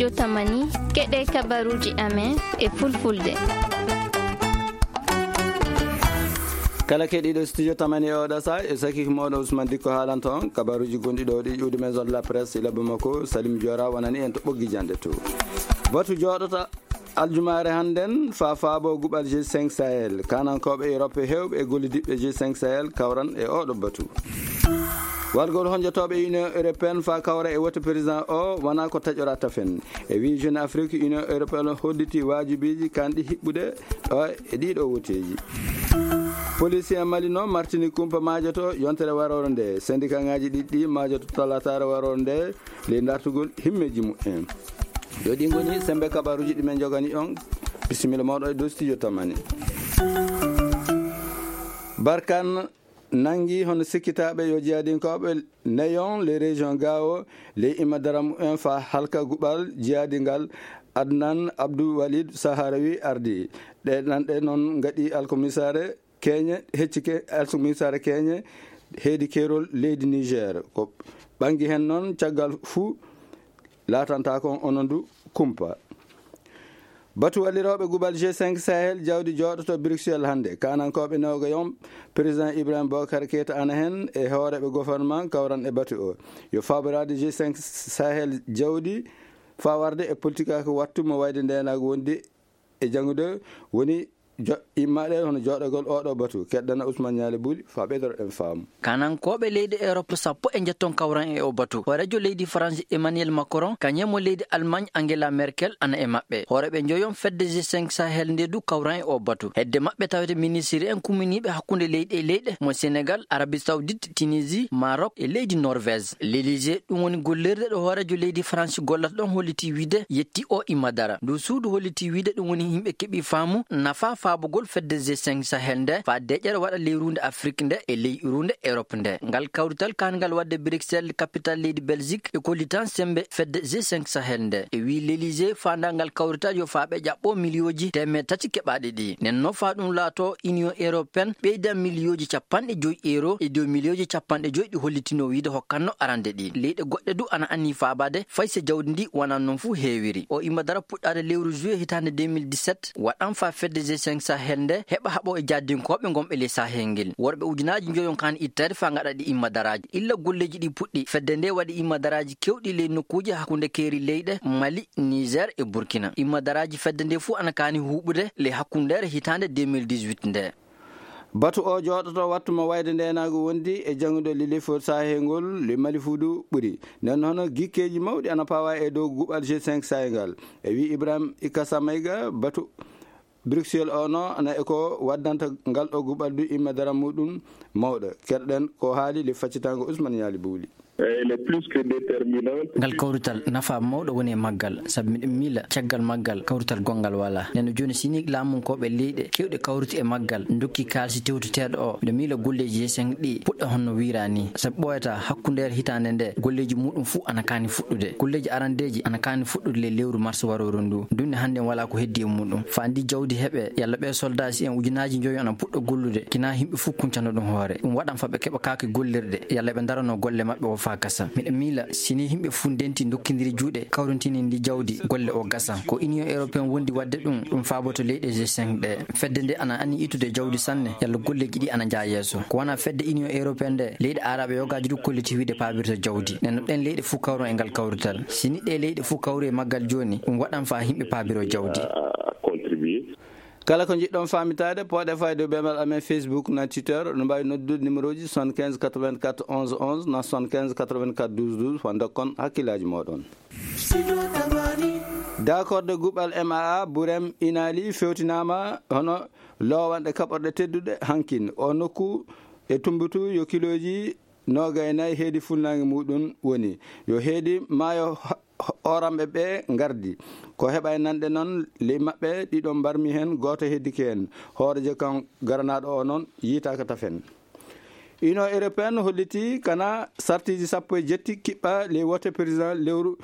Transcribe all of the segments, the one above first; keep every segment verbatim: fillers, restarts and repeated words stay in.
Yo tamani, keɗe kabaruji amen e fulfulde. Kala keɗiiɗo Studio Tamani e oɗo saha, e sakiki moɗo Ousmane Dikko haalanta on kabaruji gonɗi ɗo ɗi ƴuwdi Maison de la Presse ila Bamako, Salim Diora wonani en to ɓoggi jande to. Batu jooɗota aljumaare hannden fa faabo guɓal G cinq Sahel. Kanankooɓe Europe heewɓe e gollidiɓɓe G cinq Sahel kawran e oɗo batu. Wargol honjotooɓe Union Européenne fa kawra e wote président o wona ko taƴora tafen. E wii Jeune Afrique, Union Européenne holliti waajibiiji kanɗi hiɓɓude ɗo e ɗiɗo woteeji. Police en Mali noon martini kumpa maajoto yontere waroore nde. Syndicat ngaji ɗiɗi ɗi maajoto talataare waroore nde, ley dartugol himmeeji mumen. Yo ɗi ngoni sembe kabaruji ɗi men jogani on. Bisimilla moɗo e dow Studio Tamani. Barkan nangi hono sikkitaaɓe yo jihadinkooɓe neyon les régions Gao, ley imadara mumen fa halka guɓal jihadi ngal. Adnan Abdou Walid Saharawi ardi. Ɗe nanɗe noon ngaɗi alkomisaare keñe, heccike alkomisaare keñe heedi keerol leydi Niger. Ko ɓangi hen noon caggal fuu laatanta kon onon du kumpa. Batu wallirooɓe guɓal G cinq Sahel jawdi jooɗoto Bruxelles hannde. Kanankooɓe Newgayon, président Ibrahim Boubacar Keita ana hen e hooreeɓe gouvernement kawran e batu o. Yo faaboraade G cinq Sahel jawdi faa warde e politique ko wattu mo wayde ndeenaagu wondi e janngude woni jo-, immaɗe hono jooɗagol oɗo batu. Keddana Ousmane Nialy Bouli faa ɓeydoro ɗen faamu. Kanankooɓe leyɗe Europe sappo e njetton kawran e o batu. Hooreejo leydi France Emmanuel Macron, kañum e mo leydi Allemagne Angela Merkel ana e maɓɓe. Hooreeɓe njoyon fedde G cinq Sahel nde du kawran e o batu. Hedde maɓɓe tawete ministre en kumminiiɓe hakkunde leyɗe e leyɗe mo Sénégal, Arabie Saoudite, Tunisie, Maroc e leydi Norvège. L'Élysée, ɗum woni gollirde ɗo hooreejo leydi France gollata ɗon, holliti wiide yetti o imma dara. Ndu suudu holliti wiide ɗum woni yimɓe keɓi faamu nafa faabugol fedde G cinq Sahel nde faa deƴƴere waɗa ley ruunde Afrique nde e ley ruunde Europe nde. Ngal kawrital kaangal waɗde Bruxelles, capitale leydi Belgique, e kollitan sembe fedde G cinq Sahel nde. E wii L'Élysée, faandaangal kawrital yo faa ɓe ƴaɓɓo miliyooji teemeɗɗe tati keɓaaɗi ɗi. Nden noon faa ɗum laato Union Européenne ɓeyda miliyooji capanɗe joyi euro e dow miliyooji capanɗe joyi ɗi hollitinoo wiide hokkanno arande ɗi. Leyɗe goɗɗe du ana anni faabaade fay so jawdi ndi wonaa noon fuu heewiri. O imma dara puɗɗaade lewru juillet hitaande deux mille dix-sept, waɗan faa fedde G cinq Sahel nde heɓa haɓo e jahdinkooɓe ngonɓe ley Sahel ngel. Worɓe ujunaaji njoyon kaan itteede faa ngaɗa ɗi imma daraaji. Illa golleeji ɗi puɗɗi, fedde nde waɗi imma daraaji kewɗi ley nokkuuje hakkunde keeri leyɗe Mali, Niger e Burkina. Imma daraaji fedde nde fuu ana kaani huuɓude ley hakkundeere hitaande deux mille dix-huit nde. Batu o jooɗoto wattu mo wayde ndeenaagu wondi e janngude lilifol saahengol le Mali fuu du ɓuri. Nden hono gikkeeji mawɗi ana pawa e dow guɓal G cinq saahengal. E wii Ibrahim Ikasa Mayga, batu Bruxelles o no ana e ko waddanta ngal ɗo guɓal du imma dara muɗum mawɗo. Keɗoɗen ko haali le faccitango Ousmane Nialy Bouli. Elle est plus que déterminante. Ngal kawrital nafa mawɗo woni e maggal, sabu miɗen miila caggal maggal kawrital gonngal walaa. Nden no jooni, si ni laamunkooɓe leyɗe keewɗe kawriti e maggal, ndokki kaalisi tewteteeɗo o, miɗo miila golleeji G cinq ɗi puɗɗa honno wiiraa ni. Sabu ɓooyataa hakkundeere hitaande nde, golleeji muɗum fuu ana kaani fuɗɗude. Golleeji arandeeji ana kaani fuɗɗude ley lewru mars warooru ndu. Dunde hannde walaa ko heddi e muɗum. Faa ndi jawdi heɓe, yalla ɓee soldaaji en ujunaaji njoyo ana puɗɗa gollude, kinaa yimɓe fuu kuncano ɗum hoore. Ɗum waɗan faa ɓe keɓa kaake gollirɗe, yalla ɓe ndaranoo golle maɓɓe o faa gasa. Miɗo miila, si ni yimɓe fuu ndenti ndokkindiri juuɗe, kawrintini ndi jawdi, golle o gasa. Ko Union Européenne wondi waɗde ɗum, ɗum faaboto leyɗe G cinq ɗe. Fedde nde ana anni ittude jawdi sanne, yalla golleeji ɗi ana njaa yeeso. Ko wonaa fedde Union Européenne nde, leyɗe Aarabe yogaaji du kolliti wiide paabirta jawdi. Nden no ɗen leyɗe fuu kawron e ngal kawrital. Si ni ɗe leyɗe fuu kawri e maggal jooni, ɗum waɗan faa yimɓe paabiro jawdi. À contribuer. Kala ko njiɗɗon faamitaade, pooɗe fayde e beemal amen Facebook na Twitter, no mbaawi noddude numéro ji soixante-quinze quatre-vingt-quatre onze onze na soixante-quinze quatre-vingt-quatre douze douze, faa ndokkon hakkillaaji mooɗon. D'accord de guɓal M A A, Burem Inali fewtinaama hono loowanɗe kaɓorɗe tedduɗe hankin. O nokku e Tumbutu yo kilooji noogay nayi heedi funnaange muɗum woni. Yo heedi maayo ho-, ho-, oramɓe ɓe ngardi. Ko heɓa e nanɗe noon ley maɓɓe ɗiɗo mbarmi heen, gooto heddike heen. Hooreejo kan garanaaɗo o noon yiitaaka tafen. Union Européenne holliti kana sartiiji sappo e jetti kiɓɓa ley wote président lewru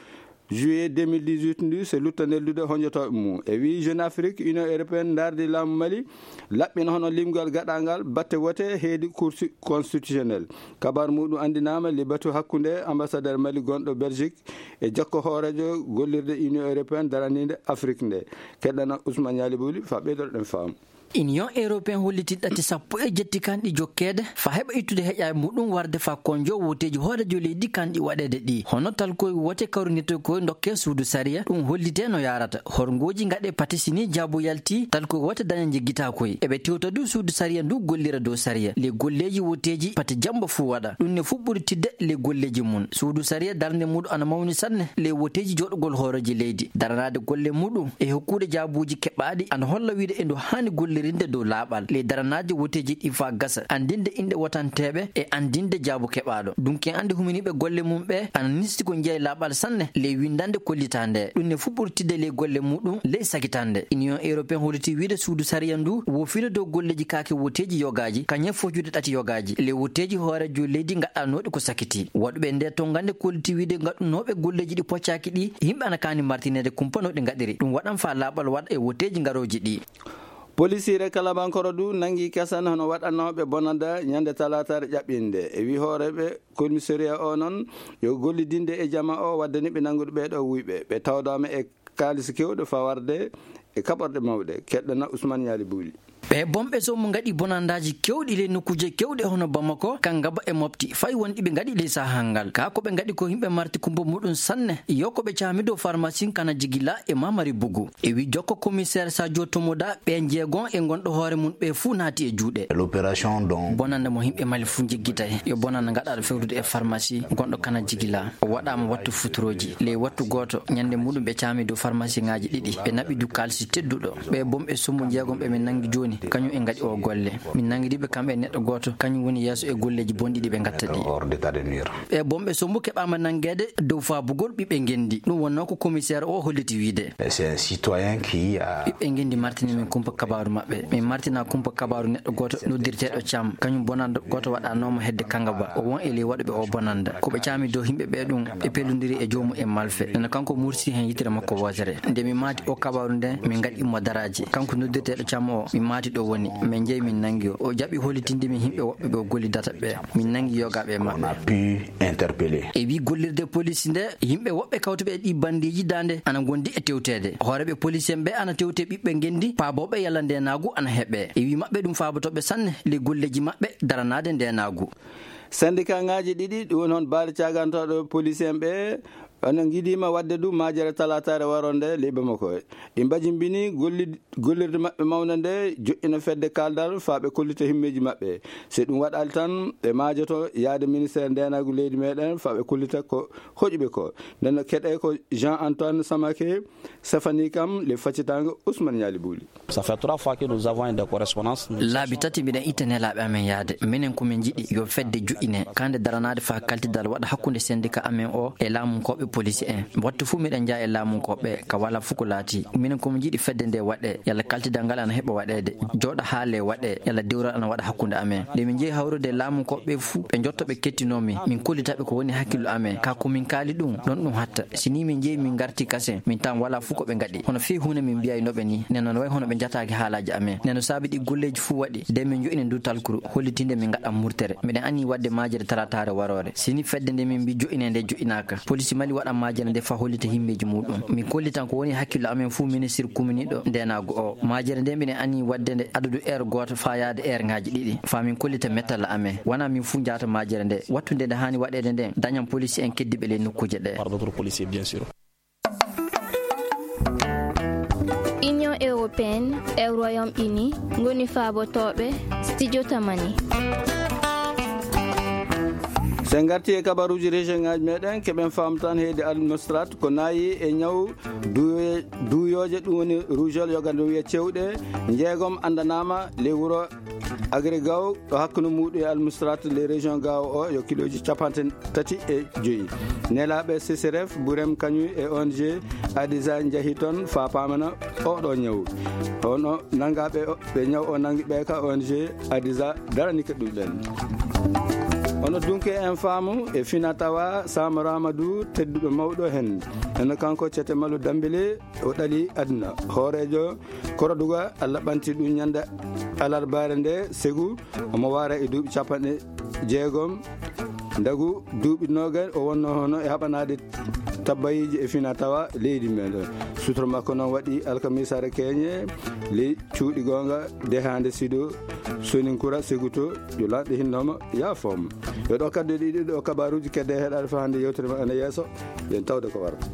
Juillet deux mille dix-huit ndu, so lutta neldude honjotooɓe mum. E wii Jeune Afrique, Union Européenne ndaardi laamu Mali, laɓɓina hono limgal gaɗangal batte wote heedi Cour constitutionnelle. Kabar muɗum anndinaama le batu hakkunde ambassadeur Mali gonɗo Belgique e jokko hooreejo gollirde Union Européenne daraniinde Afrique nde. Keɗɗana Ousmane Yali Bouli fa ɓeydoɗen faamu. Union Européenne holliti ɗate sappo e jetti kanɗi jokkeede fa heɓa ittude heƴaaɓe muɗum warde fa konjo woteeji hooreejo leydi kanɗi waɗeede ɗi. Hono talkoy wote kawrinirta koy ndokke suudu sariya, ɗum hollite no yaarata. Horngooji ngaɗe pati sini jaabu yalti, talkoy wote daña jiggitaa koy. Eɓe tewta du suudu sariya ndu gollira dow sariya. Le golleeji woteeji pati jamba fuu waɗa. Ɗum ne fuɗɓuri tidde le golleeji mum. Suudu sariya darnde muɗum ana mawni sanne le woteeji jooɗugol hooreeji leydi. Daranaade golle muɗum e hokkude jaabuuji keɓaaɗi ana holla wiide e ndu haani gollirinde dow laaɓal. Le daranaaji woteeji ɗi fa gasa, anndinde inɗe wotanteeɓe e anndinde jaabu keɓaaɗo. Dunki anndi huminiiɓe golle mum ɓe ana nisti ko jeyi laaɓal sanne le winndande kollitaa nde. Ɗum ne fuɗɓuri tidde le golle muɗum ley sagitande. Union Européenne holliti wiide suudu sariya ndu wofiino dow golleeji kaake woteeji yogaaji, kañum foccude ɗati yogaaji. Le woteeji hooreejo leydi ngaɗanooɗi ko sakiti. Waɗuɓe nde tongande kolliti wiide ngaɗunooɓe golleeji ɗi poccaaki ɗi, yimɓe ana kaani martineede kumpa no ɗi ngaɗiri. Ɗum waɗan faa laaɓal waɗa e woteeji ngarooji ɗi. Polisiire Kalabankoro du nangi kasan hono waɗanooɓe bonanda ñande talaataare ƴaɓɓinde. E wi hooreeɓe commissariat o noon yo gollidinde e jama o waddani ɓe nanngude ɓee ɗo wuyɓe. Ɓe tawdaama e kaalis kewɗo fawarde e kaɓorɗe mawɗe. Keɗɗana Ousmane Yali Bouli. Ɓe bomɓe so mo ngaɗi bonandaaji kewɗi ley nokkuuje kewɗe hono Bamako, Kangaba e Mopti, fay wonɗi ɓe ngaɗi ley sahaa ngal. Ka ko ɓe ngaɗi ko yimɓe marti kumpa muɗum sanne, yo ko ɓe caami dow farmasi Kana Jigila e Mamari Bugu. E wi jokko commissaire Sadio Tomoda, ɓe jeegon e gonɗo hoore mum ɓe fuu naati e juuɗe. L'opération dont bonande mo yimɓe Mali fuu njiggitay, yo bonande ngaɗaaɗo fewtude e farmasi gonɗo Kana Jigila. O waɗaama wattu futurooji. Ley wattu gooto, ñande muɗum ɓe caami dow farmasi ŋaaji ɗiɗi. Ɓe naɓi du kaalisi tedduɗo. Ɓe bomɓe sombo jeegom ɓe min nangi jooni, kañum en ngaɗi o golle. Min nangidi ɓe kamɓe e neɗɗo gooto, kañum woni yeeso e golleeji bonɗi ɗi ɓe ngatta ɗi. Hors d'état de nuire. Ɓe bomɓe sombo keɓaama nangeede dow faabugol ɓiɓɓe ngenndi. Ɗum wonnoo ko commissaire o holliti wiide. C'est un citoyen qui a ɓiɓɓe ngenndi martini min kumpa kabaaru maɓɓe. Min martina kumpa kabaaru neɗɗo gooto noddirteeɗo Cam. Kañum bonanda gooto waɗanooma hedde Kangaba. O won e ley waɗuɓe o bonanda. Ko ɓe caami dow yimɓe ɓe ɗum, ɓe pellondiri e joomum e malfe. Nana kanko mursi heen yitere makko wootere. Nde mi maati o kabaaru nden, min ngaɗi mo daraaji. Kanko noddirteeɗo Cam o, min maati ɗo woni. Min njehi min nangi o. O jaɓi hollitinde min yimɓe woɓɓe ɓe o gollidata ɓe. Min nangi yogaaɓe e maɓɓe. On a pu interpeller. E wi gollirde police nde, yimɓe woɓɓe kawtuɓe e ɗi bandeeji daande ana ngondi e tewteede. Hooreeɓe police en ɓe ana tewte ɓiɓɓe ngenndi, paabooɓe yalla ndeenaagu ana heɓe. E wi maɓɓe ɗum faabotooɓe sanne ley golleeji maɓɓe daranaade ndeenaagu. Syndicat ŋaaji ɗiɗi, ɗum woni hono baali caagantooɗo police en ɓe, ono ngidiima waɗde du maajere talaataare waronde ley Bamako. Ɗi mbajimbini golli-, gollirde maɓɓe mawnde nde, joƴƴina fedde kaaldal faa ɓe kollita himmeeji maɓɓe. So ɗum waɗaali tan, ɓe maajoto yaade ministère ndeenaagu leydi meɗen faa ɓe kollita ko hoƴuɓe ko. Nden no keɗe ko Jean Antoine Samake, Stéphanie Kam, le faccitaango Ousmane Ñaali Buuli. Ça fait trois fois que nous avons une correspondance. Laabi tati mbiɗen itta nelaaɓe amen yaade. Minen ko min njiɗi yo fedde joƴƴine, kande daranaade faa kaltidal waɗa hakkunde syndicat amen o e laamunkooɓe police en. Wattu fuu miɗen njaha e laamunkooɓe, ka walaa fuu ko laatii. Minen ko min njiɗi fedde nde waɗe, yalla kaltidal ngal ana heɓa waɗeede. Jooɗa haale waɗe, yalla dewral ana waɗa hakkunde amen. Nde min njehi hawrude e laamunkooɓe fuu, ɓe njotto ɓe kettinoo min. Min kollita ɓe ko woni hakkillo amen. Ka ko min kaali ɗum, ɗon ɗum hatta. Si nii min njehi min ngarti kasen, min tawan walaa fuu ko ɓe ngaɗi. Hono fii huunde min mbiyaynoo ɓe nii, nden no wayi hono ɓe njataaki haalaaji amen. Nden no saabi ɗi golleeji fuu waɗi, nden min njo'ini ndu talkuru, hollitinde min ngaɗan murtere. Miɗen anni waɗde maajere talaataare waroore. Si nii fedde nde min mbii jo'inee nde jo'inaaka, police Mali waɗan maajere nde faa hollita himmeeji muuɗum. Min kollitan ko woni hakkillo amen fuu ministir kuminiiɗo ndeenaagu o. Maajere nde miɗen anni waɗde nde adadu heure gooto faa yaade heure ŋaaji ɗiɗi, faa min kollita mettalla amen. Wanaa min fuu njaata maajere nde. Wattu nde nde haani waɗeede nden, dañan police en keddiiɓe ley nokkuuje ɗe. Par d'autres policiers, bien sûr. Union européenne e Royaume-Uni ngoni faabotooɓe Studio Tamani. So en ngartii e kabaruuji région ŋaaji meɗen, keɓen faamu tan heedi Al Mustrat ko naayi e ñaw duuye-, duuyooje, ɗum woni rougeole, yoga ɗum wiya cewɗe, njeegom anndanaama ley wuro Agri Gao, ɗo hakkunde muuɗum e Al Mustrat, ley région Gao o, yo kilooji capanɗe tati e joyi. Nelaaɓe C C R F, Burem Kañum e O N G Adiza njahi toon faa paamana oo ɗoo ñaw. Hono nanngaaɓe o-, ɓe ñaw o nanngi ɓe ka O N G Adiza darani ka ɗum ɓen. Hono dunke en faamu e fina tawa Samara Amadou, tedduɗo mawɗo hen. Eno kanko Cete Malo Dambele, o ɗali aduna. Hooreejo Koroduga, Allah ɓanti ɗum ñande alarbaare nde, Segu, omo waara e duuɓi capanɗe jeegom. Ndagu duuɓi noogaas, o wonno hono e haɓanaade tabbayiiji e fina tawa leydi men. Sutoro makko noon waɗi alkamisaare keñe, ley cuuɗi goonga, dehaande Sido, Soninkura, Seguto, yo lanɗe hinnooma, yaafooma. Yo ɗo kadde ɗiɗi ɗo kabaaruuji kedde heɗaade faa hannde yewtere men ana yeeso, yen tawde ko warata.